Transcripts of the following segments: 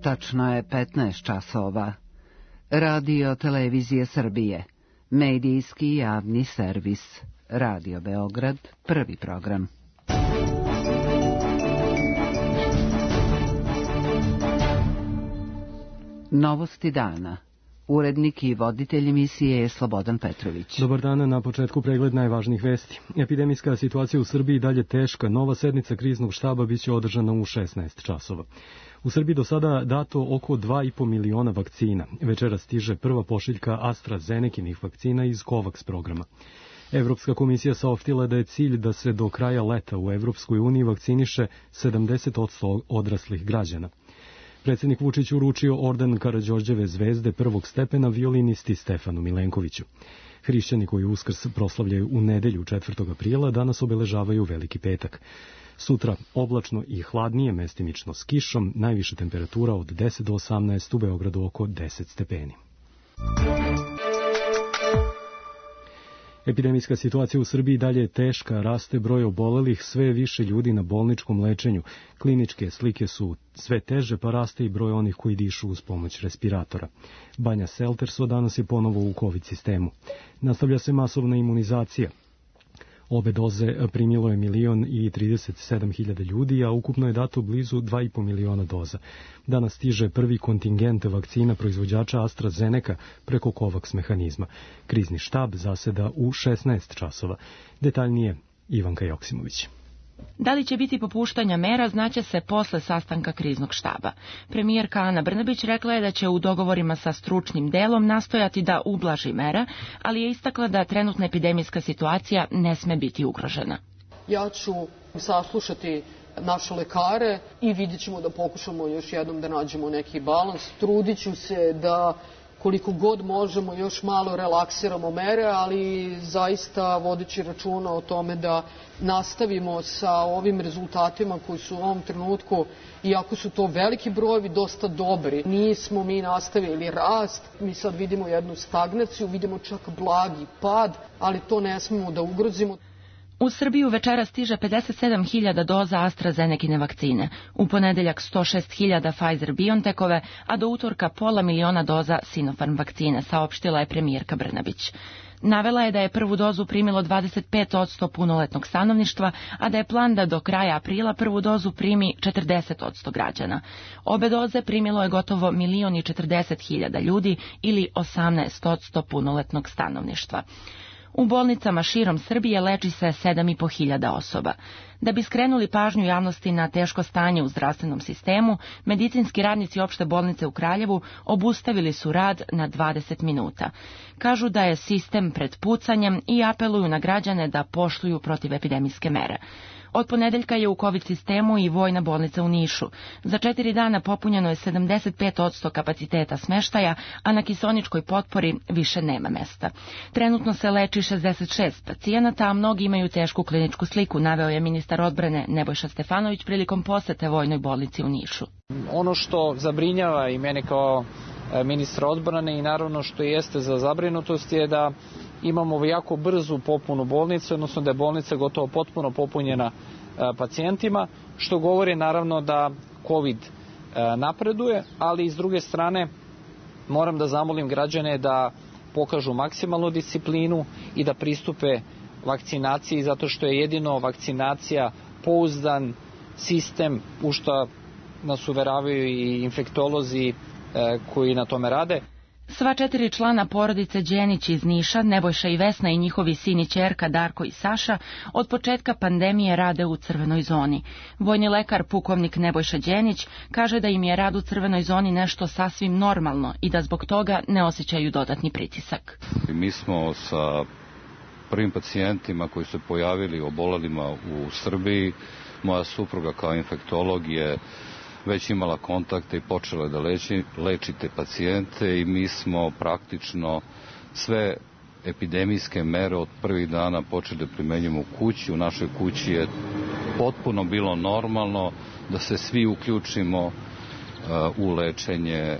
Tačno je 15 časova. Radio Televizije Srbije. Medijski javni servis. Radio Beograd, prvi program. Novosti dana. Urednik i voditelj emisije je Slobodan Petrović. Dobar dan, na početku pregled najvažnijih vesti. Epidemijska situacija u Srbiji dalje teška. Nova sednica kriznog štaba biće održana u 16 časova. U Srbiji do sada dato oko 2,5 miliona vakcina. Večera stiže prva pošiljka AstraZenekinih vakcina iz COVAX programa. Evropska komisija saopštila da je cilj da se do kraja leta u Evropskoj uniji vakciniše 70% odraslih građana. Predsjednik Vučić uručio orden Karađorđeve zvezde prvog stepena violinisti Stefanu Milenkoviću. Hrišćani koji Uskrs proslavljaju u nedelju 4. aprila danas obeležavaju Veliki petak. Sutra oblačno i hladnije, mestimično s kišom, najviša temperatura od 10 do 18, u Beogradu oko 10 stepeni. Epidemijska situacija u Srbiji dalje je teška, raste broj obolelih, sve više ljudi na bolničkom lečenju. Kliničke slike su sve teže, pa raste i broj onih koji dišu uz pomoć respiratora. Banja Selterso danas je ponovo u COVID sistemu. Nastavlja se masovna imunizacija. Obe doze primilo je 1.037.000 ljudi, a ukupno je dato blizu 2,5 miliona doza. Danas stiže prvi kontingent vakcina proizvođača AstraZeneca preko COVAX mehanizma. Krizni štab zaseda u 16 časova. Detaljnije Ivanka Joksimović. Da li će biti popuštanja mera znaće se posle sastanka kriznog štaba. Premijerka Ana Brnabić rekla je da će u dogovorima sa stručnim delom nastojati da ublaži mera, ali je istakla da trenutna epidemijska situacija ne sme biti ugrožena. Ja ću saslušati naše lekare i vidjet ćemo da pokušamo još jednom da nađemo neki balans. Trudit ću se da koliko god možemo još malo relaksiramo mere, ali zaista vodeći računa o tome da nastavimo sa ovim rezultatima koji su u ovom trenutku, iako su to veliki brojevi, dosta dobri. Nismo mi nastavili rast, mi sad vidimo jednu stagnaciju, vidimo čak blagi pad, ali to ne smemo da ugrozimo. U Srbiju večera stiže 57.000 doza AstraZenekine vakcine, u ponedeljak 106.000 Pfizer-BioNTechove, a do utorka 500.000 doza Sinopharm vakcine, saopštila je premijerka Brnabić. Navela je da je prvu dozu primilo 25% punoletnog stanovništva, a da je plan da do kraja aprila prvu dozu primi 40% građana. Obe doze primilo je gotovo 1.040.000 ljudi ili 18% punoletnog stanovništva. U bolnicama širom Srbije leči se 7.500 osoba. Da bi skrenuli pažnju javnosti na teško stanje u zdravstvenom sistemu, medicinski radnici opšte bolnice u Kraljevu obustavili su rad na 20 minuta. Kažu da je sistem pred pucanjem i apeluju na građane da poštuju protivepidemijske mere. Od ponedeljka je u COVID sistemu i vojna bolnica u Nišu. Za 4 dana popunjeno je 75% kapaciteta smeštaja, a na kiseoničkoj potpori više nema mesta. Trenutno se leči 66 pacijenata, a mnogi imaju tešku kliničku sliku, naveo je ministar odbrane Nebojša Stefanović prilikom posete vojnoj bolnici u Nišu. Ono što zabrinjava i mene kao ministra odbrane i naravno što jeste za zabrinutost je da imamo jako brzu popunu bolnice, odnosno da je bolnica gotovo potpuno popunjena pacijentima, što govori naravno da COVID napreduje, ali s druge strane moram da zamolim građane da pokažu maksimalnu disciplinu i da pristupe vakcinaciji, zato što je jedino vakcinacija pouzdan sistem u što nas uveravaju i infektolozi koji na tome rade. Sva 4 člana porodice Đenić iz Niša, Nebojša i Vesna i njihovi sin i ćerka Darko i Saša, od početka pandemije rade u crvenoj zoni. Vojni lekar pukovnik Nebojša Đenić kaže da im je rad u crvenoj zoni nešto sasvim normalno i da zbog toga ne osjećaju dodatni pritisak. Mi smo sa prvim pacijentima koji su pojavili obolelima u Srbiji, moja supruga kao infektolog je već imala kontakte i počela da leči te pacijente i mi smo praktično sve epidemijske mere od prvih dana počeli da primenjujemo u kući. U našoj kući je potpuno bilo normalno da se svi uključimo u lečenje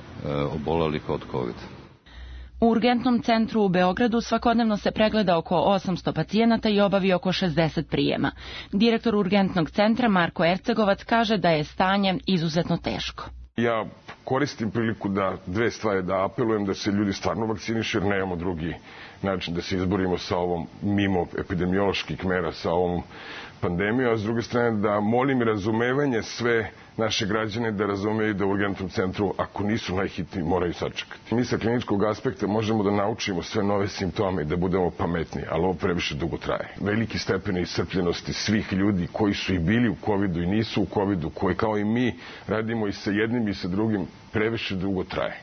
obolelih od COVID-a. U urgentnom centru u Beogradu svakodnevno se pregleda oko 800 pacijenata i obavi oko 60 prijema. Direktor urgentnog centra Marko Ercegovac kaže da je stanje izuzetno teško. Ja koristim priliku da dve stvari, da apelujem da se ljudi stvarno vakcinišu, jer nemamo drugi način da se izborimo sa ovom, mimo epidemioloških mera, sa ovom pandemijom, a s druge strane da molim razumevanje sve naše građane da razumeju da u urgentnom centru, ako nisu najhitniji, moraju sačekati. Mi sa kliničkog aspekta možemo da naučimo sve nove simptome i da budemo pametni, ali ovo previše dugo traje. Veliki stepen iscrpljenosti svih ljudi koji su i bili u covidu i nisu u covidu, koji kao i mi radimo i sa jednim i sa drugim, previše dugo traje.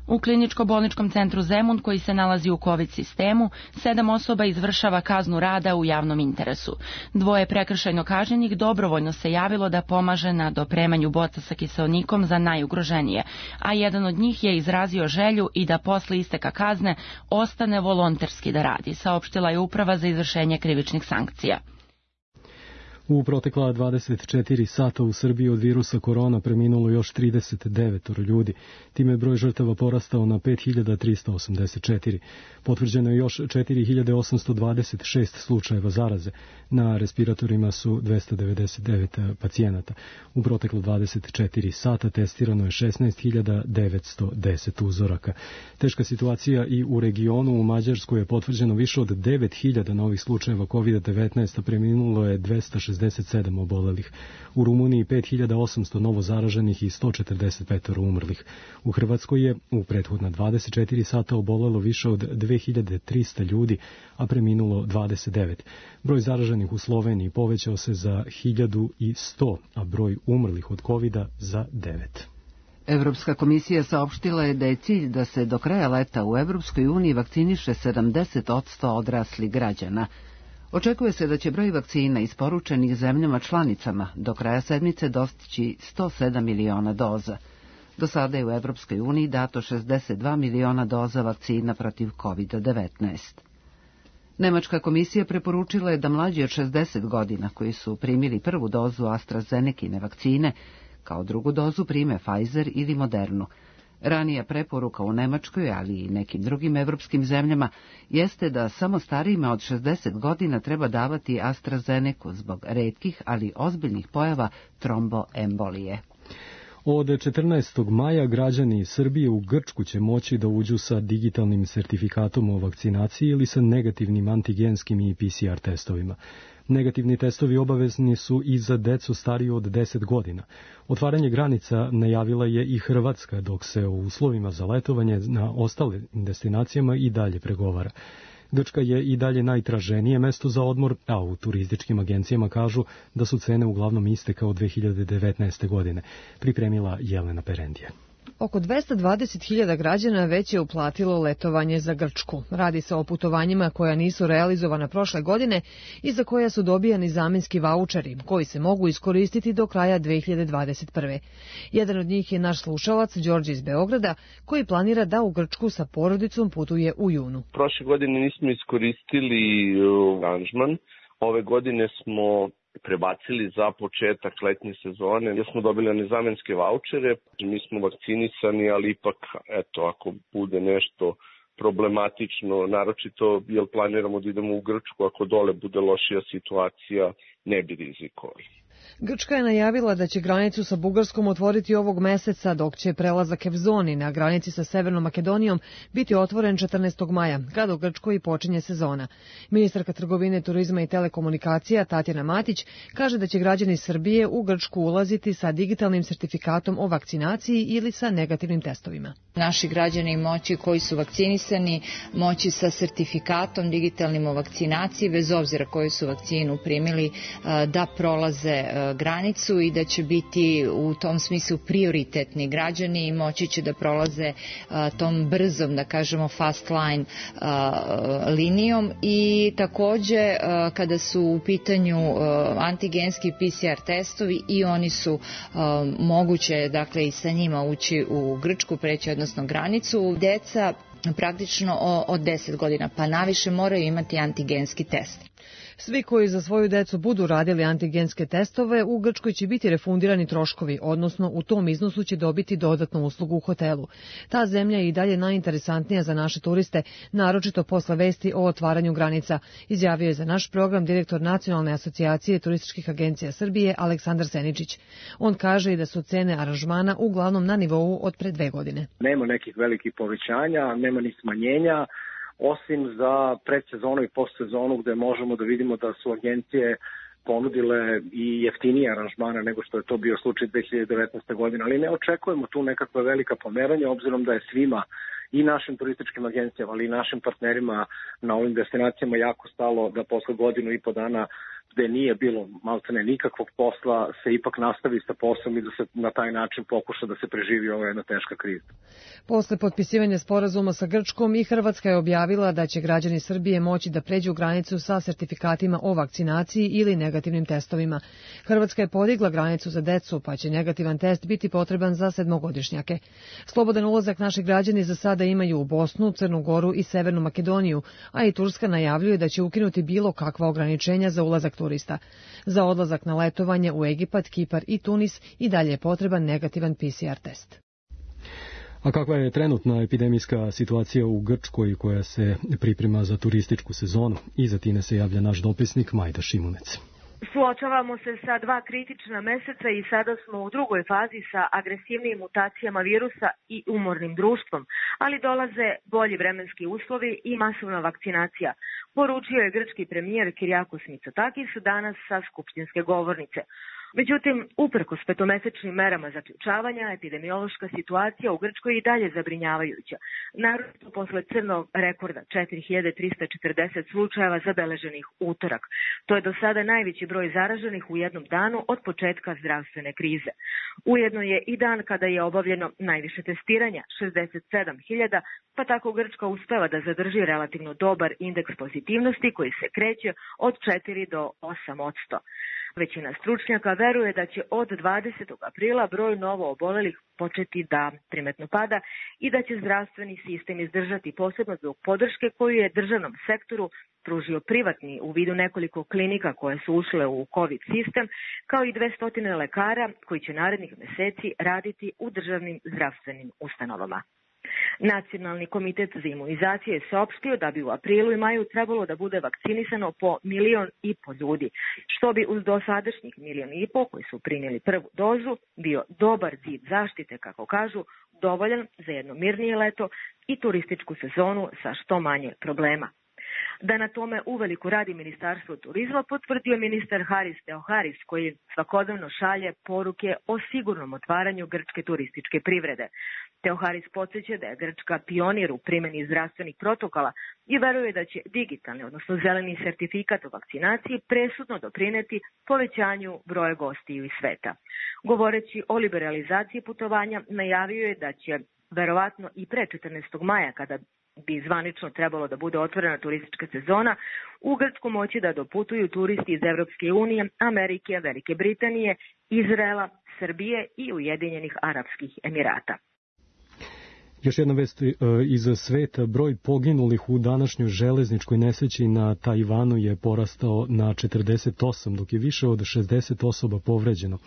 U kliničko-bolničkom centru Zemun, koji se nalazi u COVID sistemu, 7 osoba izvršava kaznu rada u javnom interesu. 2 prekršajno kažnjenih dobrovoljno se javilo da pomaže na dopremanju boca sa kiseonikom za najugroženije, a jedan od njih je izrazio želju i da posle isteka kazne ostane volonterski da radi, saopštila je Uprava za izvršenje krivičnih sankcija. U protekla 24 sata u Srbiji od virusa korona preminulo još 39 ljudi. Time je broj žrtava porastao na 5384. Potvrđeno je još 4826 slučajeva zaraze. Na respiratorima su 299 pacijenata. U proteklo 24 sata testirano je 16.910 uzoraka. Teška situacija i u regionu. U Mađarskoj je potvrđeno više od 9000 novih slučajeva COVID-19, a preminulo je 267 obolelih. U Rumuniji 5800 novo zaraženih i 145 umrlih. U Hrvatskoj je u prethodna 24 sata obolelo više od 2300 ljudi, a preminulo 29. Broj zaraženih u Sloveniji povećao se za 1100, a broj umrlih od covida za 9. Evropska komisija saopštila je da je cilj da se do kraja leta u Evropskoj uniji vakciniše 70% odraslih građana. Očekuje se da će broj vakcina isporučenih zemljama članicama do kraja sedmice dostići 107 miliona doza. Do sada je u Evropskoj uniji dato 62 miliona doza vakcina protiv COVID-19. Nemačka komisija preporučila je da mlađi od 60 godina koji su primili prvu dozu AstraZenekine vakcine, kao drugu dozu prime Pfizer ili Modernu. Ranija preporuka u Nemačkoj, ali i nekim drugim evropskim zemljama, jeste da samo starijima od 60 godina treba davati AstraZeneku zbog retkih, ali ozbiljnih pojava tromboembolije. Od 14. maja građani Srbije u Grčku će moći da uđu sa digitalnim sertifikatom o vakcinaciji ili sa negativnim antigenskim i PCR testovima. Negativni testovi obavezni su i za decu stariju od 10 godina. Otvaranje granica najavila je i Hrvatska, dok se u uslovima za letovanje na ostalim destinacijama i dalje pregovara. Grčka je i dalje najtraženije mesto za odmor, a u turističkim agencijama kažu da su cene uglavnom iste kao 2019. godine, pripremila Jelena Perendija. Oko 220.000 građana već je uplatilo letovanje za Grčku. Radi se o putovanjima koja nisu realizovana prošle godine i za koja su dobijani zamenski vaučeri, koji se mogu iskoristiti do kraja 2021. Jedan od njih je naš slušalac, Đorđe iz Beograda, koji planira da u Grčku sa porodicom putuje u junu. Prošle godine nismo iskoristili aranžman. Ove godine smo prebacili za početak letnje sezone, jer smo dobili nezamenske vaučere. Mi smo vakcinisani, ali ipak, ako bude nešto problematično, naročito jer planiramo da idemo u Grčku, ako dole bude lošija situacija, ne bi rizikovali. Grčka je najavila da će granicu sa Bugarskom otvoriti ovog meseca, dok će prelazak Evzoni na granici sa Severnom Makedonijom biti otvoren 14. maja, kada u Grčkoj počinje sezona. Ministarka trgovine, turizma i telekomunikacija Tatjana Matić kaže da će građani Srbije u Grčku ulaziti sa digitalnim sertifikatom o vakcinaciji ili sa negativnim testovima. Naši građani moći koji su vakcinisani moći sa sertifikatom digitalnim o vakcinaciji, bez obzira koju su vakcinu primili, da prolaze granicu i da će biti u tom smislu prioritetni građani i moći će da prolaze tom brzom, da kažemo fast line linijom. I takođe kada su u pitanju antigenski PCR testovi, i oni su moguće, dakle, i sa njima ući u Grčku, preći odnosno granicu. Deca praktično od 10 godina pa naviše moraju imati antigenski test. Svi koji za svoju decu budu radili antigenske testove, u Grčkoj će biti refundirani troškovi, odnosno u tom iznosu će dobiti dodatnu uslugu u hotelu. Ta zemlja je i dalje najinteresantnija za naše turiste, naročito posle vesti o otvaranju granica, izjavio je za naš program direktor Nacionalne asocijacije turističkih agencija Srbije Aleksandar Seničić. On kaže i da su cene aranžmana uglavnom na nivou od pre 2 godine. Nema nekih velikih povećanja, nema ni smanjenja, osim za predsezonu i postsezonu gde možemo da vidimo da su agencije ponudile i jeftinije aranžmane nego što je to bio slučaj 2019. godine, ali ne očekujemo tu nekakva velika pomeranja, obzirom da je svima i našim turističkim agencijama, ali i našim partnerima na ovim destinacijama jako stalo da posle godinu i po dana gde nije bilo maltene nikakvog posla, se ipak nastavi sa poslom i da se na taj način pokuša da se preživi ova jedna teška kriza. Posle potpisivanja sporazuma sa Grčkom i Hrvatska je objavila da će građani Srbije moći da pređu granicu sa sertifikatima o vakcinaciji ili negativnim testovima. Hrvatska je podigla granicu za decu, pa će negativan test biti potreban za 7-godišnjake. Slobodan ulazak naši građani za sada imaju u Bosnu, Crnu Goru i Severnu Makedoniju, a i Turska najavljuje da će ukinuti bilo kakva ograničenja za ulazak turista. Za odlazak na letovanje u Egipat, Kipar i Tunis i dalje je potreban negativan PCR test. A kakva je trenutna epidemijska situacija u Grčkoj koja se priprema za turističku sezonu? Iza Tine se javlja naš dopisnik Majda Šimunec. Suočavamo se sa 2 kritična meseca i sada smo u drugoj fazi sa agresivnijim mutacijama virusa i umornim društvom, ali dolaze bolji vremenski uslovi i masovna vakcinacija, poručio je grčki premijer Kyriakos Mitsotakis danas sa skupštinske govornice. Međutim, uprkos 5-mesečnim merama zaključavanja, epidemiološka situacija u Grčkoj i dalje zabrinjavajuća. Naročito posle crnog rekorda 4340 slučajeva zabeleženih utorak. To je do sada najveći broj zaraženih u jednom danu od početka zdravstvene krize. Ujedno je i dan kada je obavljeno najviše testiranja, 67.000, pa tako Grčka uspeva da zadrži relativno dobar indeks pozitivnosti koji se kreće od 4 do 8%. Većina stručnjaka veruje da će od 20. aprila broj novo obolelih početi da primetno pada i da će zdravstveni sistem izdržati, posebno zbog podrške koju je državnom sektoru pružio privatni u vidu nekoliko klinika koje su ušle u COVID sistem, kao i 200 lekara koji će narednih meseci raditi u državnim zdravstvenim ustanovama. Nacionalni komitet za imunizaciju je saopštio da bi u aprilu i maju trebalo da bude vakcinisano po 1,5 miliona ljudi, što bi uz dosadašnjih 1,5 miliona koji su primili prvu dozu bio dobar zid zaštite, kako kažu, dovoljan za jedno mirnije leto i turističku sezonu sa što manje problema. Da na tome uveliko radi Ministarstvo turizma potvrdio ministar Haris Theoharis, koji svakodnevno šalje poruke o sigurnom otvaranju grčke turističke privrede. Theoharis podsjeća da je Grčka pionir u primjeni zdravstvenih protokola i veruje da će digitalni, odnosno zeleni sertifikat o vakcinaciji presudno doprineti povećanju broja gostiju iz sveta. Govoreći o liberalizaciji putovanja, najavio je da će verovatno i pre 14. maja, kada bi zvanično trebalo da bude otvorena turistička sezona, u Grčku moći da doputuju turisti iz Evropske unije, Amerike, Velike Britanije, Izraela, Srbije i Ujedinjenih Arapskih Emirata. Još jedna vest iz sveta. Broj poginulih u današnjoj železničkoj nesreći na Tajvanu je porastao na 48, dok je više od 60 osoba povređeno.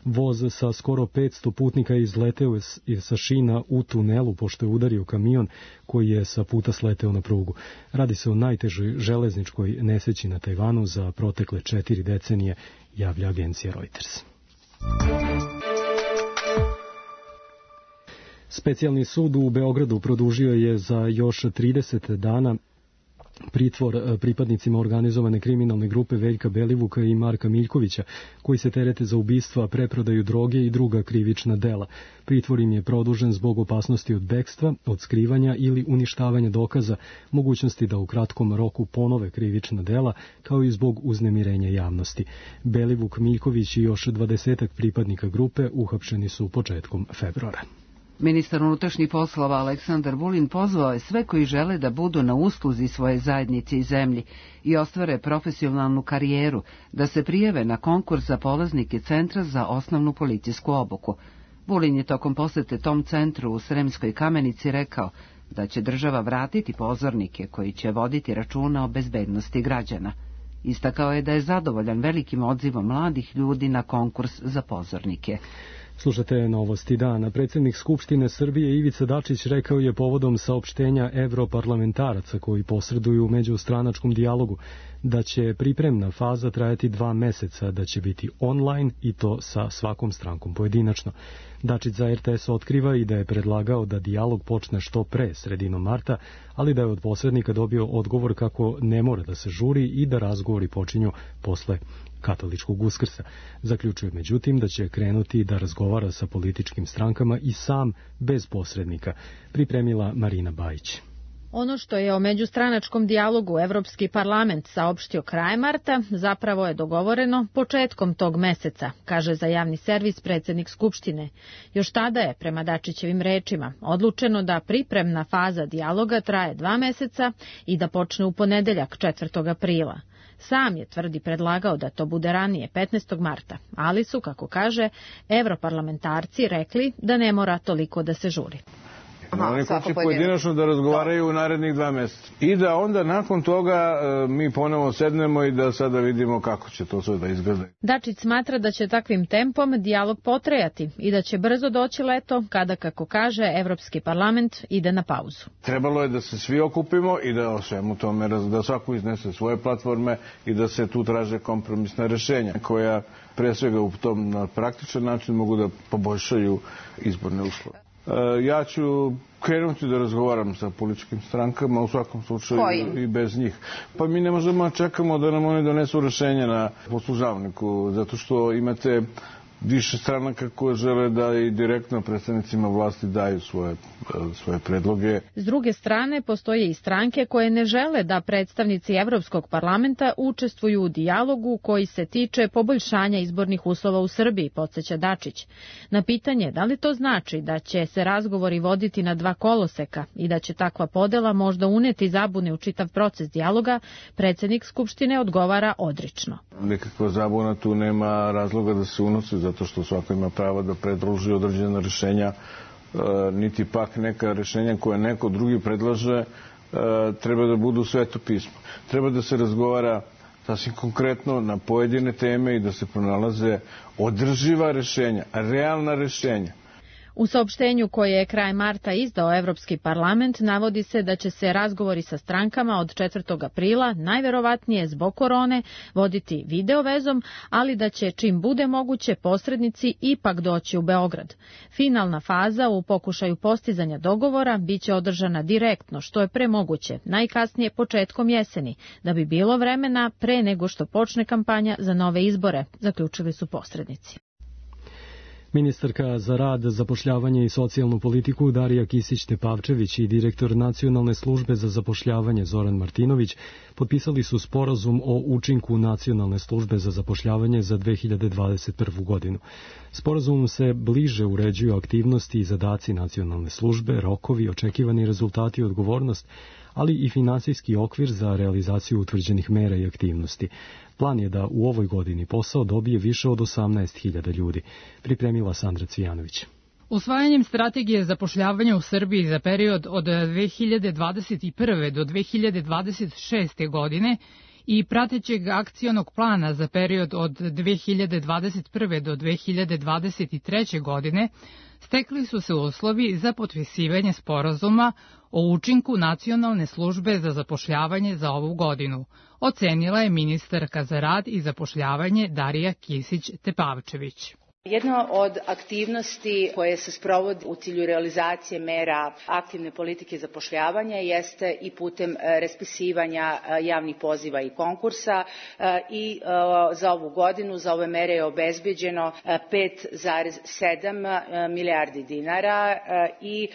Voz sa skoro 500 putnika je izleteo sa šina u tunelu pošto je udario kamion koji je sa puta sleteo na prugu. Radi se o najtežoj železničkoj nesreći na Tajvanu za protekle 4 decenije, javlja agencija Reuters. Specijalni sud u Beogradu produžio je za još 30 dana pritvor pripadnicima organizovane kriminalne grupe Veljka Belivuka i Marka Miljkovića, koji se terete za ubistva, preprodaju droge i druga krivična dela. Pritvor im je produžen zbog opasnosti od bekstva, od skrivanja ili uništavanja dokaza, mogućnosti da u kratkom roku ponove krivična dela, kao i zbog uznemirenja javnosti. Belivuk, Miljković i još 20 pripadnika grupe uhapšeni su početkom februara. Ministar unutrašnjih poslova Aleksandar Vulin pozvao je sve koji žele da budu na usluzi svoje zajednice i zemlji i ostvare profesionalnu karijeru, da se prijave na konkurs za polaznike Centra za osnovnu policijsku obuku. Vulin je tokom posete tom centru u Sremskoj Kamenici rekao da će država vratiti pozornike koji će voditi računa o bezbednosti građana. Istakao je da je zadovoljan velikim odzivom mladih ljudi na konkurs za pozornike. Slušate Novosti dana. Predsjednik Skupštine Srbije Ivica Dačić rekao je povodom saopštenja evroparlamentaraca koji posreduju u međustranačkom dijalogu da će pripremna faza trajati 2 meseca, da će biti online i to sa svakom strankom pojedinačno. Dačić za RTS otkriva i da je predlagao da dijalog počne što pre, sredinom marta, ali da je od posrednika dobio odgovor kako ne mora da se žuri i da razgovori počinju posle katoličkog Uskrsa. Zaključuje međutim da će krenuti da razgovara sa političkim strankama i sam bez posrednika, pripremila Marina Bajić. Ono što je o međustranačkom dijalogu Evropski parlament saopštio krajem marta, zapravo je dogovoreno početkom tog meseca, kaže za javni servis predsjednik Skupštine. Još tada je, prema Dačićevim rečima, odlučeno da pripremna faza dijaloga traje 2 meseca i da počne u ponedeljak 4. aprila. Sam je, tvrdi, predlagao da to bude ranije, 15. marta, ali su, kako kaže, evroparlamentarci rekli da ne mora toliko da se žuri. Oni koji će pojedinačno da razgovaraju u narednih 2 meseca. I da onda nakon toga mi ponovo sednemo i da sada vidimo kako će to sve da izgleda. Dačić smatra da će takvim tempom dijalog potrajati i da će brzo doći leto kada, kako kaže, Evropski parlament ide na pauzu. Trebalo je da se svi okupimo i da o svemu tome, da svako iznese svoje platforme i da se tu traže kompromisna rešenja koja pre svega u tom na praktičan način mogu da poboljšaju izborne uslove. Ja ću krenuti da razgovaram sa političkim strankama, u svakom slučaju i bez njih. Pa mi ne možemo čekamo da nam oni donesu rešenje na poslužavniku, zato što imate više stranaka koje žele da i direktno predstavnicima vlasti daju svoje predloge. S druge strane, postoje i stranke koje ne žele da predstavnici Evropskog parlamenta učestvuju u dijalogu koji se tiče poboljšanja izbornih uslova u Srbiji, podsjeća Dačić. Na pitanje da li to znači da će se razgovori voditi na 2 koloseka i da će takva podela možda uneti zabune u čitav proces dijaloga, predsjednik Skupštine odgovara odrično. Nekakva zabuna tu nema razloga da se unosi, zato što svako ima pravo da predloži određena rešenja, niti pak neka rešenja koje neko drugi predlaže treba da budu sveto pismo. Treba da se razgovara sasvim konkretno na pojedine teme i da se pronalaze održiva rešenja, realna rešenja. U saopštenju koje je kraj marta izdao Evropski parlament navodi se da će se razgovori sa strankama od 4. aprila, najverovatnije zbog korone, voditi video vezom, ali da će čim bude moguće posrednici ipak doći u Beograd. Finalna faza u pokušaju postizanja dogovora biće održana direktno, što je premoguće, najkasnije početkom jeseni, da bi bilo vremena pre nego što počne kampanja za nove izbore, zaključili su posrednici. Ministarka za rad, zapošljavanje i socijalnu politiku Darija Kisić-Tepavčević i direktor Nacionalne službe za zapošljavanje Zoran Martinović potpisali su sporazum o učinku Nacionalne službe za zapošljavanje za 2021. godinu. Sporazumom se bliže uređuju aktivnosti i zadaci Nacionalne službe, rokovi, očekivani rezultati i odgovornost, ali i finansijski okvir za realizaciju utvrđenih mera i aktivnosti. Plan je da u ovoj godini posao dobije više od 18.000 ljudi, pripremila Sandra Cvijanović. Usvajanjem strategije zapošljavanja u Srbiji za period od 2021. do 2026. godine i pratećeg akcionog plana za period od 2021. do 2023. godine, stekli su se uslovi za potpisivanje sporazuma o učinku Nacionalne službe za zapošljavanje za ovu godinu, ocenila je ministarka za rad i zapošljavanje Darija Kisić-Tepavčević. Jedna od aktivnosti koje se sprovodi u cilju realizacije mera aktivne politike zapošljavanja jeste i putem raspisivanja javnih poziva i konkursa i za ovu godinu za ove mere je obezbeđeno 5,7 milijardi dinara i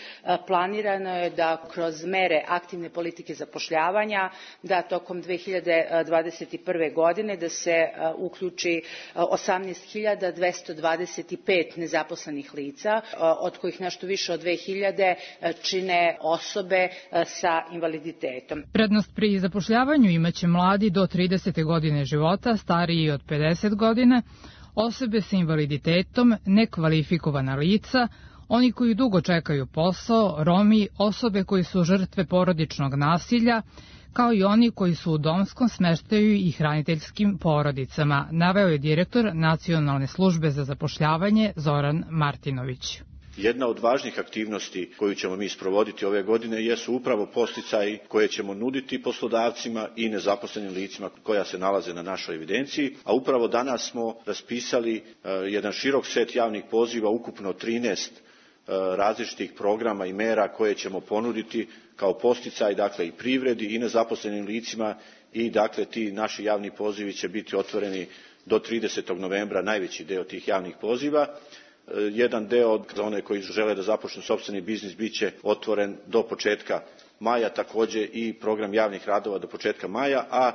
planirano je da kroz mere aktivne politike zapošljavanja da tokom 2021. godine da se uključi 18.225 nezaposlenih lica, od kojih nešto više od 2000 čine osobe sa invaliditetom. Prednost pri zapošljavanju imaće mladi do 30. godine života, stariji od 50 godina, osobe sa invaliditetom, nekvalifikovana lica, oni koji dugo čekaju posao, Romi, osobe koji su žrtve porodičnog nasilja, kao i oni koji su u domskom smeštaju i hraniteljskim porodicama, naveo je direktor Nacionalne službe za zapošljavanje Zoran Martinović. Jedna od važnih aktivnosti koju ćemo mi sprovoditi ove godine jesu upravo podsticaji koje ćemo nuditi poslodavcima i nezaposlenim licima koja se nalaze na našoj evidenciji, a upravo danas smo raspisali jedan širok set javnih poziva, ukupno 13 različitih programa i mera koje ćemo ponuditi kao podsticaj, dakle, i privredi i nezaposlenim licima, i dakle ti naši javni pozivi će biti otvoreni do 30. novembra, najveći deo tih javnih poziva. Jedan deo za one koji žele da započnu sopstveni biznis biće otvoren do početka maja, takođe i program javnih radova do početka maja, a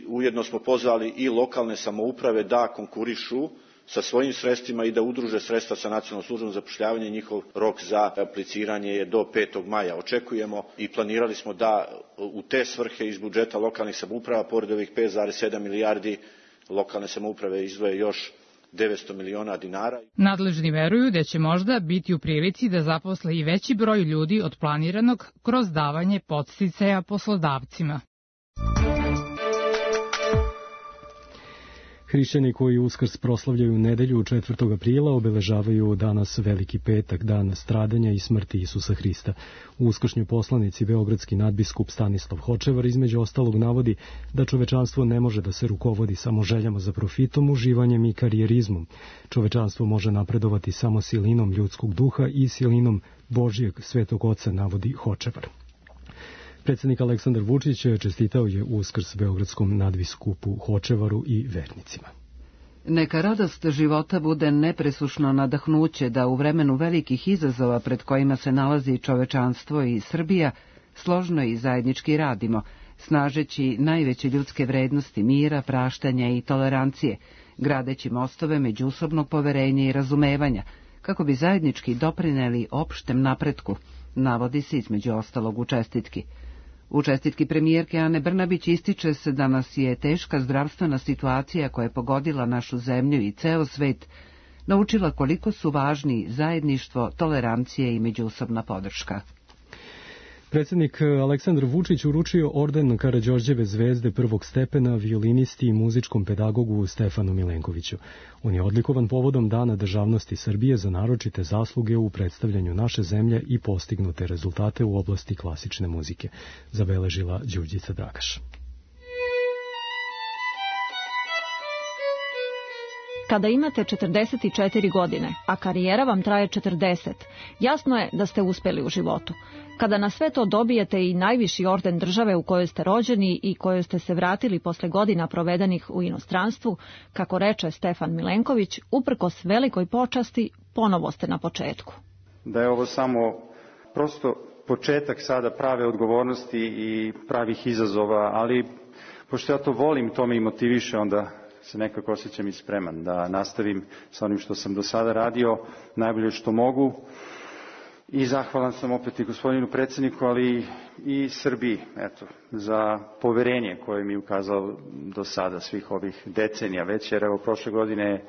ujedno smo pozvali i lokalne samouprave da konkurišu sa svojim sredstvima i da udruže sredstva sa Nacionalnom službom za zapošljavanje. Njihov rok za apliciranje je do 5. maja. Očekujemo i planirali smo da u te svrhe iz budžeta lokalnih samouprava, pored ovih 5,7 milijardi, lokalne samouprave izdvoje još 900 miliona dinara. Nadležni veruju da će možda biti u prilici da zaposle i veći broj ljudi od planiranog kroz davanje podsticaja poslodavcima. Hrišćani koji Uskrs proslavljaju nedelju 4. aprila obeležavaju danas Veliki petak, dan stradanja i smrti Isusa Hrista. U uskršnjoj poslanici beogradski nadbiskup Stanislav Hočevar između ostalog navodi da čovečanstvo ne može da se rukovodi samo željama za profitom, uživanjem i karijerizmom. Čovečanstvo može napredovati samo silinom ljudskog duha i silinom Božijeg Svetog Oca, navodi Hočevar. Predsjednik Aleksandar Vučić čestitao je Uskrs beogradskom nadbiskupu Hočevaru i vernicima. Neka radost života bude nepresušno nadahnuće da u vremenu velikih izazova pred kojima se nalazi čovečanstvo i Srbija složno i zajednički radimo, snažeći najveće ljudske vrednosti mira, praštanja i tolerancije, gradeći mostove međusobnog poverenja i razumevanja, kako bi zajednički doprineli opštem napretku, navodi se između ostalog u čestitki. U čestitki premijerke Ane Brnabić ističe se da nas je teška zdravstvena situacija koja je pogodila našu zemlju i ceo svet naučila koliko su važni zajedništvo, tolerancije i međusobna podrška. Predsjednik Aleksandar Vučić uručio orden Karađorđeve zvezde prvog stepena violinisti i muzičkom pedagogu Stefanu Milenkoviću. On je odlikovan povodom Dana državnosti Srbije za naročite zasluge u predstavljanju naše zemlje i postignute rezultate u oblasti klasične muzike, zabeležila Đurđica Dragaš. Kada imate 44 godine, a karijera vam traje 40, jasno je da ste uspjeli u životu. Kada na sve to dobijete i najviši orden države u kojoj ste rođeni i kojoj ste se vratili posle godina provedenih u inostranstvu, kako reče Stefan Milenković, uprkos velikoj počasti, ponovo ste na početku. Da je ovo samo prosto početak sada prave odgovornosti i pravih izazova, ali pošto ja to volim, to me i motiviše, onda se nekako osjećam i spreman da nastavim sa onim što sam do sada radio, najbolje što mogu. I zahvalan sam opet i gospodinu predsjedniku, ali i Srbiji, za poverenje koje mi je ukazao do sada svih ovih decenija već, jer evo prošle godine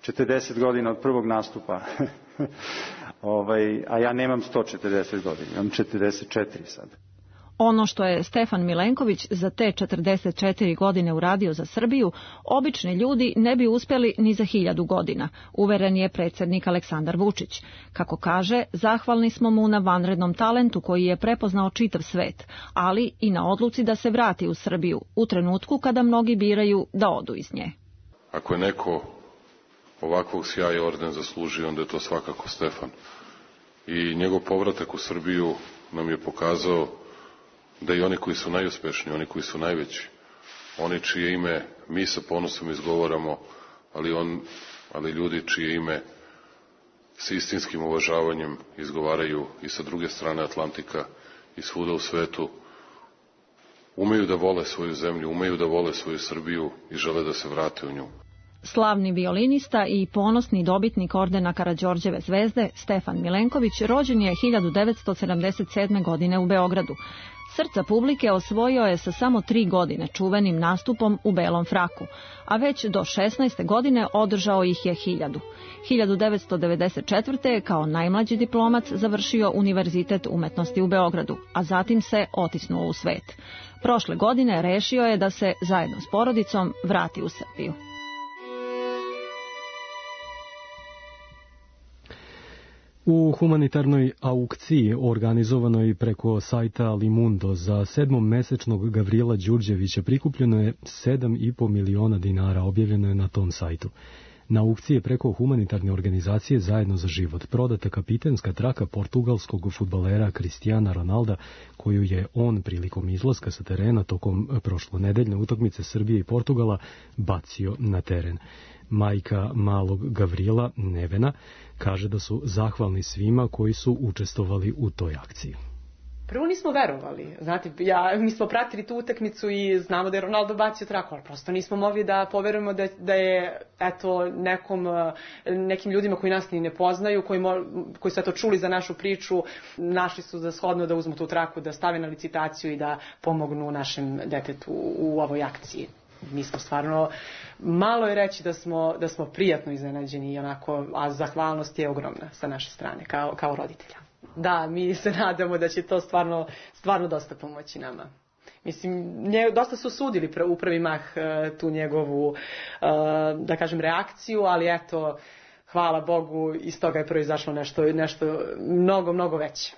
40 godina od prvog nastupa, a ja nemam 140 godina, imam 44 sad. Ono što je Stefan Milenković za te 44 godine uradio za Srbiju, obični ljudi ne bi uspjeli ni za 1000 godina, uveren je predsjednik Aleksandar Vučić. Kako kaže, zahvalni smo mu na vanrednom talentu koji je prepoznao čitav svet, ali i na odluci da se vrati u Srbiju u trenutku kada mnogi biraju da odu iz nje. Ako je neko ovakvog sjaja orden zaslužio, onda je to svakako Stefan. I njegov povratak u Srbiju nam je pokazao da i oni koji su najuspješniji, oni koji su najveći, oni čije ime mi sa ponosom izgovaramo, ali ljudi čije ime s istinskim uvažavanjem izgovaraju i sa druge strane Atlantika i svuda u svetu, umeju da vole svoju zemlju, umeju da vole svoju Srbiju i žele da se vrate u nju. Slavni violinista i ponosni dobitnik ordena Karađorđeve zvezde Stefan Milenković rođen je 1977. godine u Beogradu. Srca publike osvojio je sa samo 3 godine čuvenim nastupom u belom fraku, a već do 16. godine održao ih je 1000. 1994. je kao najmlađi diplomac završio Univerzitet umetnosti u Beogradu, a zatim se otisnuo u svet. Prošle godine rešio je da se zajedno s porodicom vrati u Srbiju. U humanitarnoj aukciji organizovanoj preko sajta Limundo za 7-mesečnog Gavrila Đurđevića prikupljeno je 7,5 miliona dinara, objavljeno je na tom sajtu. Na aukciji je preko humanitarne organizacije Zajedno za život prodata kapitenska traka portugalskog fudbalera Cristiana Ronalda, koju je on prilikom izlaska sa terena tokom prošlonedeljne utakmice Srbije i Portugala bacio na teren. Majka malog Gavrila, Nevena, kaže da su zahvalni svima koji su učestvovali u toj akciji. Prvo nismo verovali, znate, mi smo pratili tu utakmicu i znamo da je Ronaldo bacio traku, ali prosto nismo mogli da poverujemo da je nekim ljudima koji nas ni ne poznaju, koji su čuli za našu priču, našli su za shodno da uzmu tu traku, da stave na licitaciju i da pomognu našem detetu u ovoj akciji. Mi smo stvarno, malo je reći da smo prijatno iznenađeni, a zahvalnost je ogromna sa naše strane, kao roditelja. Da, mi se nadamo da će to stvarno dosta pomoći nama. Mislim, dosta su sudili u prvi mah tu njegovu, da kažem, reakciju, ali eto, hvala Bogu, iz toga je proizašlo nešto mnogo, mnogo veće.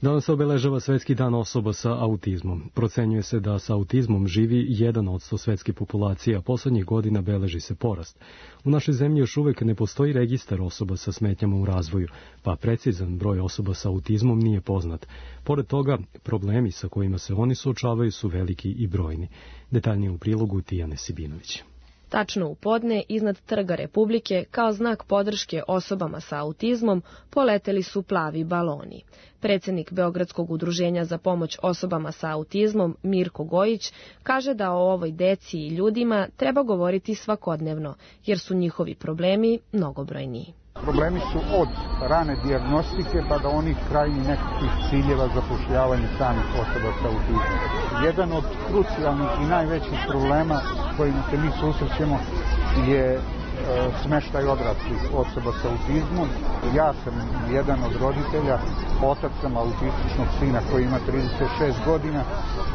Danas se obeležava Svetski dan osoba sa autizmom. Procenjuje se da sa autizmom živi 1% svetske populacije, a poslednjih godina beleži se porast. U našoj zemlji još uvek ne postoji registar osoba sa smetnjama u razvoju, pa precizan broj osoba sa autizmom nije poznat. Pored toga, problemi sa kojima se oni suočavaju su veliki i brojni. Detaljnije u prilogu Tijane Sibinović. Tačno u podne, iznad Trga Republike, kao znak podrške osobama sa autizmom, poleteli su plavi baloni. Predsjednik Beogradskog udruženja za pomoć osobama sa autizmom, Mirko Gojić, kaže da o ovoj deci i ljudima treba govoriti svakodnevno, jer su njihovi problemi mnogobrojniji. Problemi su od rane dijagnostike pa do onih krajnjih nekakvih ciljeva zapošljavanja samih osoba sa autizmom. Jedan od krucijalnih i najvećih problema kojima se mi susrećemo je smeštaj odraslih osoba sa autizmom. Ja sam jedan od roditelja, otac sam autističnog sina koji ima 36 godina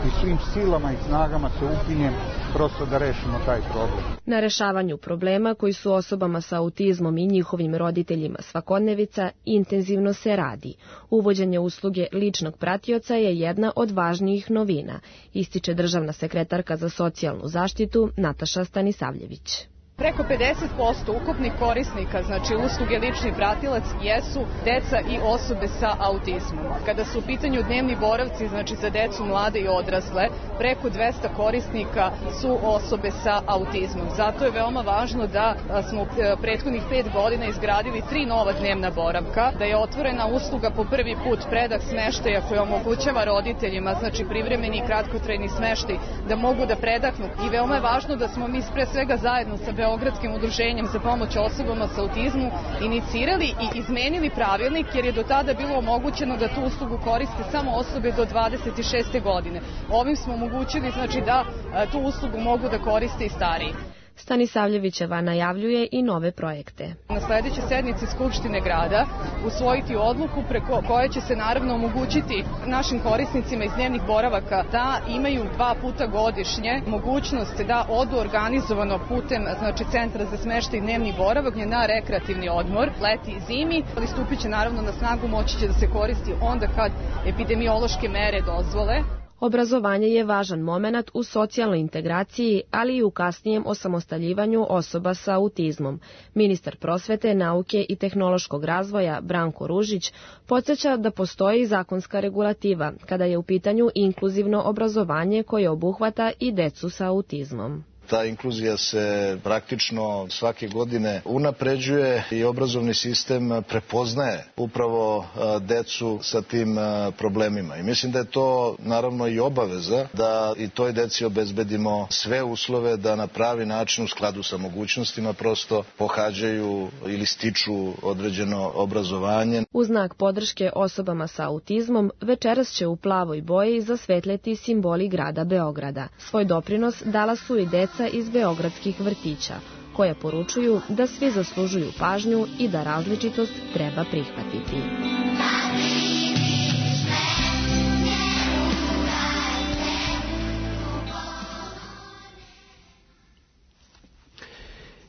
i svim silama i snagama se upinjem prosto da rešimo taj problem. Na rešavanju problema koji su osobama sa autizmom i njihovim roditeljima svakodnevica intenzivno se radi. Uvođenje usluge ličnog pratioca je jedna od važnijih novina, ističe državna sekretarka za socijalnu zaštitu Nataša Stanisavljević. Preko 50% ukupnih korisnika, znači usluge lični pratilac, jesu deca i osobe sa autizmom. Kada su u pitanju dnevni boravci, znači za decu, mlade i odrasle, preko 200 korisnika su osobe sa autizmom. Zato je veoma važno da smo prethodnih 5 godina izgradili 3 nova dnevna boravka, da je otvorena usluga po prvi put predah smeštaja koja omogućava roditeljima, znači privremeni i kratkotrajni smeštaj, da mogu da predahnu. I veoma je važno da smo mi pre svega zajedno sa Beogradskim udruženjem za pomoć osobama sa autizmom inicirali i izmenili pravilnik, jer je do tada bilo omogućeno da tu uslugu koriste samo osobe do 26. godine. Ovim smo omogućili znači da tu uslugu mogu da koriste i stariji. Stanisavljevićeva najavljuje i nove projekte. Na sledećoj sednici Skupštine grada usvojiti odluku preko koje će se naravno omogućiti našim korisnicima iz dnevnih boravaka da imaju 2 puta godišnje mogućnost da odu organizovano putem znači centra za smeštaj i dnevni boravak na rekreativni odmor leti i zimi, ali stupit će naravno na snagu, moći će da se koristi onda kad epidemiološke mere dozvole. Obrazovanje je važan momenat u socijalnoj integraciji, ali i u kasnijem osamostaljivanju osoba sa autizmom. Ministar prosvete, nauke i tehnološkog razvoja Branko Ružić podsjeća da postoji zakonska regulativa kada je u pitanju inkluzivno obrazovanje koje obuhvata i decu sa autizmom. Ta inkluzija se praktično svake godine unapređuje i obrazovni sistem prepoznaje upravo decu sa tim problemima. I mislim da je to naravno i obaveza da i toj deci obezbedimo sve uslove da na pravi način u skladu sa mogućnostima prosto pohađaju ili stiču određeno obrazovanje. U znak podrške osobama sa autizmom večeras će u plavoj boji zasvetljeti simboli grada Beograda. Svoj doprinos dala su i deca iz beogradskih vrtića, koja poručuju da svi zaslužuju pažnju i da različitost treba prihvatiti.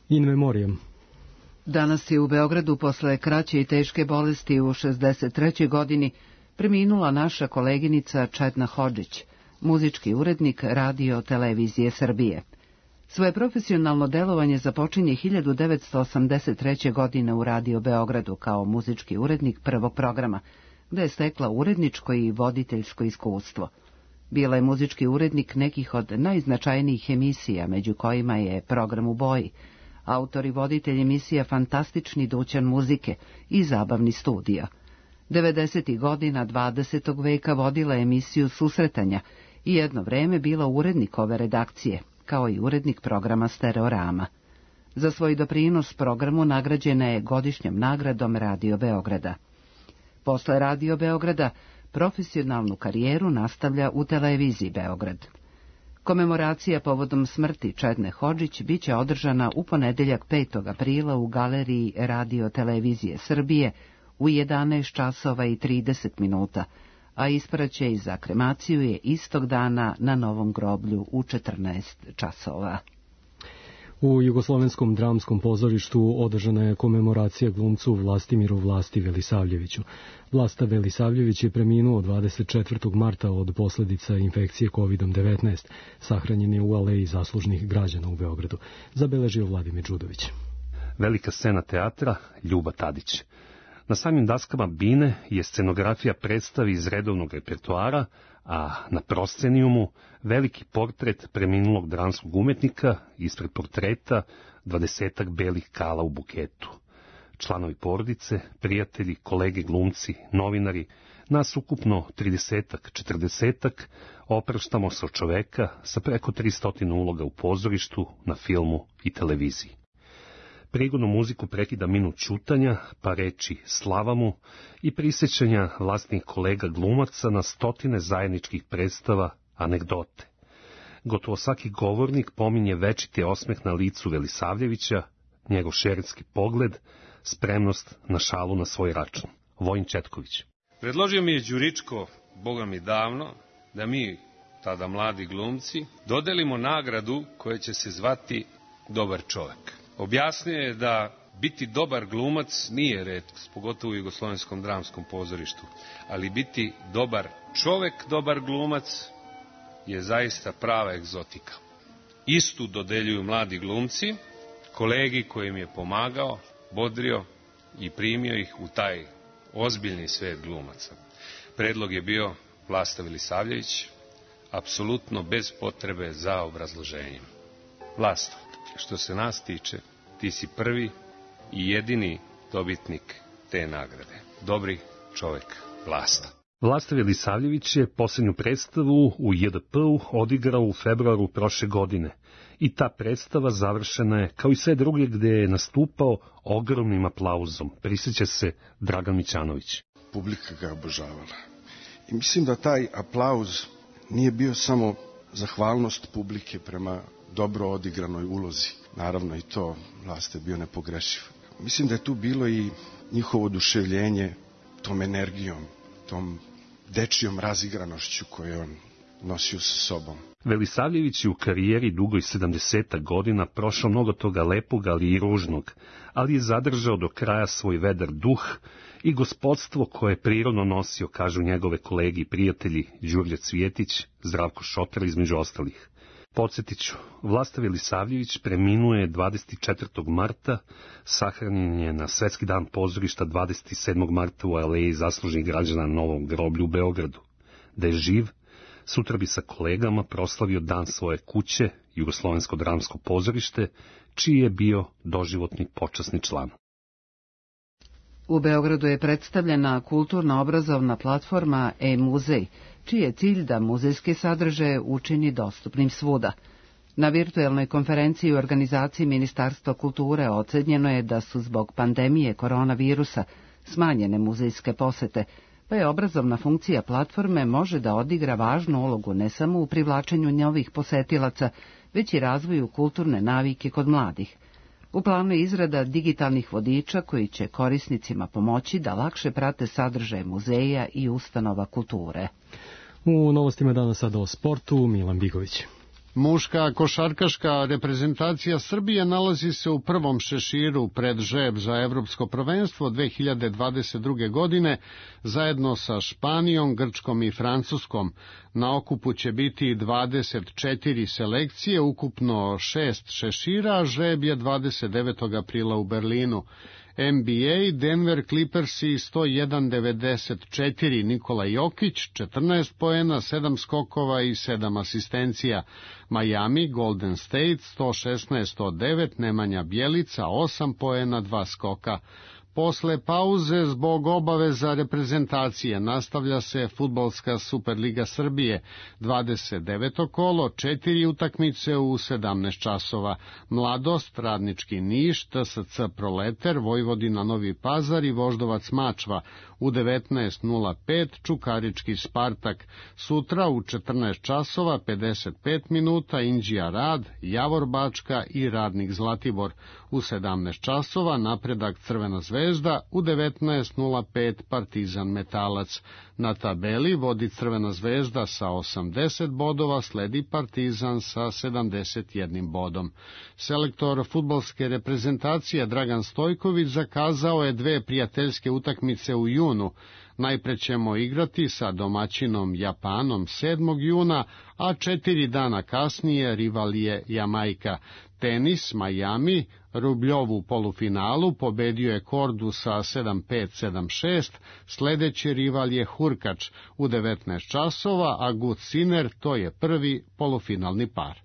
In memoriam. Danas je u Beogradu posle kraće i teške bolesti u 63. godini preminula naša koleginica Čedna Hodžić, muzički urednik Radio Televizije Srbije. Svoje profesionalno delovanje započinje 1983. godine u Radio Beogradu kao muzički urednik prvog programa, gde je stekla uredničko i voditeljsko iskustvo. Bila je muzički urednik nekih od najznačajnijih emisija, među kojima je Program u boji, autor i voditelj emisija Fantastični dućan muzike i Zabavni studio. 90. godina 20. veka vodila emisiju Susretanja i jedno vreme bila urednik ove redakcije, kao i urednik programa Stereorama. Za svoj doprinos programu nagrađena je godišnjom nagradom Radio Beograda. Posle Radio Beograda profesionalnu karijeru nastavlja u Televiziji Beograd. Komemoracija povodom smrti Čedne Hodžić biće održana u ponedeljak 5. aprila u galeriji Radio Televizije Srbije u 11 časova i 30 minuta, a ispraćaj za kremaciju je istog dana na Novom groblju u 14 časova. U Jugoslovenskom dramskom pozorištu održana je komemoracija glumcu Vlastimiru Vlasti Velisavljeviću. Vlasta Velisavljević je preminuo 24. marta od posljedica infekcije COVID-19. Sahranjen je u aleji zaslužnih građana u Beogradu, zabeležio Vladimir Đudović. Velika scena teatra Ljuba Tadić. Na samim daskama bine je scenografija predstavi iz redovnog repertoara, a na proscenijumu veliki portret preminulog dramskog umetnika, ispred portreta 20 belih kala u buketu. Članovi porodice, prijatelji, kolege glumci, novinari, nas ukupno 30-40 opraštamo se od čoveka sa preko 300 uloga u pozorištu, na filmu i televiziji. Prigodnu muziku prekida minut ćutanja, pa reči slava mu i prisjećanja vlastnih kolega glumaca na stotine zajedničkih predstava, anegdote. Gotovo svaki govornik pominje večiti osmeh na licu Velisavljevića, njegov šeretski pogled, spremnost na šalu na svoj račun. Vojin Četković. Predložio mi je Đuričko, boga mi davno, da mi, tada mladi glumci, dodelimo nagradu koja će se zvati Dobar čovek. Objasnio je da biti dobar glumac nije retkost, pogotovo u Jugoslovenskom dramskom pozorištu, ali biti dobar čovek, dobar glumac je zaista prava egzotika. Istu dodeljuju mladi glumci, kolegi kojim je pomagao, bodrio i primio ih u taj ozbiljni svet glumaca. Predlog je bio Vlasta Velisavljević, apsolutno bez potrebe za obrazloženjem. Vlasto, što se nas tiče, ti si prvi i jedini dobitnik te nagrade. Dobri čovek, Vlasta. Vlasta Velisavljević je posljednju predstavu u JDP-u odigrao u februaru prošle godine i ta predstava završena je, kao i sve druge gde je nastupao, ogromnim aplauzom. Prisjeća se Dragan Mićanović. Publika ga obožavala. I mislim da taj aplauz nije bio samo zahvalnost publike prema dobro odigranoj ulozi. Naravno i to, Vlasta je bio nepogrešiv. Mislim da je tu bilo i njihovo oduševljenje tom energijom, tom dečijom razigranošću koju on nosio sa sobom. Velisavljević je u karijeri dugoj 70 godina prošao mnogo toga lepog, ali i ružnog, ali je zadržao do kraja svoj vedar duh i gospodstvo koje je prirodno nosio, kažu njegove kolegi i prijatelji Đurđe Cvjetić, Zdravko Šotar između ostalih. Podsjetit ću, Vlasta Velisavljević preminuo je 24. marta, sahranjen je na Svetski dan pozorišta 27. marta u aleji zaslužnih građana na Novom groblju u Beogradu. Da je živ, Sutra bi sa kolegama proslavio dan svoje kuće, Jugoslovensko dramsko pozorište, čiji je bio doživotni počasni član. U Beogradu je predstavljena kulturno-obrazovna platforma e-muzej, čiji je cilj da muzejske sadržaje učini dostupnim svuda. Na virtuelnoj konferenciji u organizaciji Ministarstva kulture ocenjeno je da su zbog pandemije koronavirusa smanjene muzejske posete, pa je obrazovna funkcija platforme može da odigra važnu ulogu ne samo u privlačenju novih posetilaca, već i razvoju kulturne navike kod mladih. U planu je izrada digitalnih vodiča koji će korisnicima pomoći da lakše prate sadržaje muzeja i ustanova kulture. U novostima danas sada o sportu, Milan Bigović. Muška košarkaška reprezentacija Srbije nalazi se u prvom šeširu pred žreb za Evropsko prvenstvo 2022. godine zajedno sa Španijom, Grčkom i Francuskom. Na okupu će biti 24 selekcije, ukupno 6 šešira, a žreb je 29. aprila u Berlinu. NBA, Denver Clippersi 101-94, Nikola Jokić 14 poena, 7 skokova i 7 asistencija. Miami, Golden State 116-109, Nemanja Bjelica 8 poena, 2 skoka. Posle pauze zbog obaveza reprezentacije nastavlja se Fudbalska Superliga Srbije, 29. kolo, 4 utakmice u 17 časova. Mladost, Radnički Niš, TSC Proleter, Vojvodina Novi Pazar i Voždovac Mačva. U 19:05 Čukarički Spartak. Sutra u 14 časova 55 minuta Inđija Rad, Javor Bačka i Radnik Zlatibor. U 17 časova Napredak Crvena Zvezda, u 19:05 Partizan Metalac. Na tabeli vodi Crvena Zvezda sa 80 bodova, sledi Partizan sa 71 bodom. Selektor fudbalske reprezentacije Dragan Stojković zakazao je 2 prijateljske utakmice u junu. Najpre ćemo igrati sa domaćinom Japanom 7. juna, a 4 dana kasnije rival je Jamajka. Tenis, Miami, Rubljovu polufinalu pobedio je Kordu sa 7-5, 7-6, sledeći rival je Hurkač u 19 časova, a Gut Sinner to je prvi polufinalni par.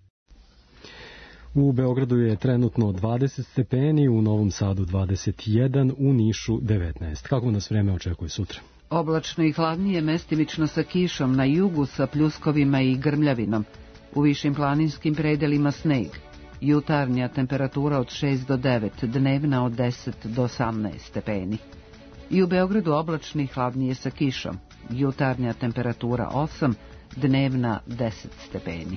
U Beogradu je trenutno 20 stepeni, u Novom Sadu 21, u Nišu 19. Kako nas vreme očekuje sutra? Oblačno i hladnije, mestimično sa kišom, na jugu sa pljuskovima i grmljavinom. U višim planinskim predelima sneg. Jutarnja temperatura od 6 do 9, dnevna od 10 do 18 stepeni. I u Beogradu oblačno i hladnije sa kišom. Jutarnja temperatura 8, dnevna 10 stepeni.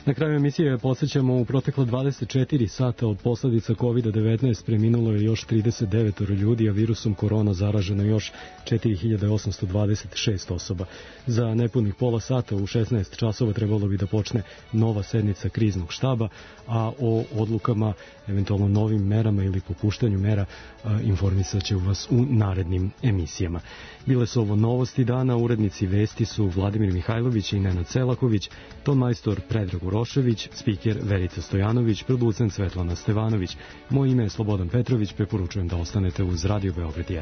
Na kraju emisije podsjećamo, u proteklo 24 sata od posledica COVID-19 preminulo je još 39 ljudi, a virusom korona zaraženo još 4826 osoba. Za nepunih pola sata u 16 časova trebalo bi da počne nova sednica kriznog štaba, a o odlukama, eventualno novim merama ili popuštanju mera informisat će vas u narednim emisijama. Bile su ovo novosti dana, urednici vesti su Vladimir Mihajlović i Nenad Selaković, ton majstor Predrag Urošević, spiker Verica Stojanović, producent Svetlana Stevanović. Moje ime je Slobodan Petrović, preporučujem da ostanete uz Radio Beograd 1.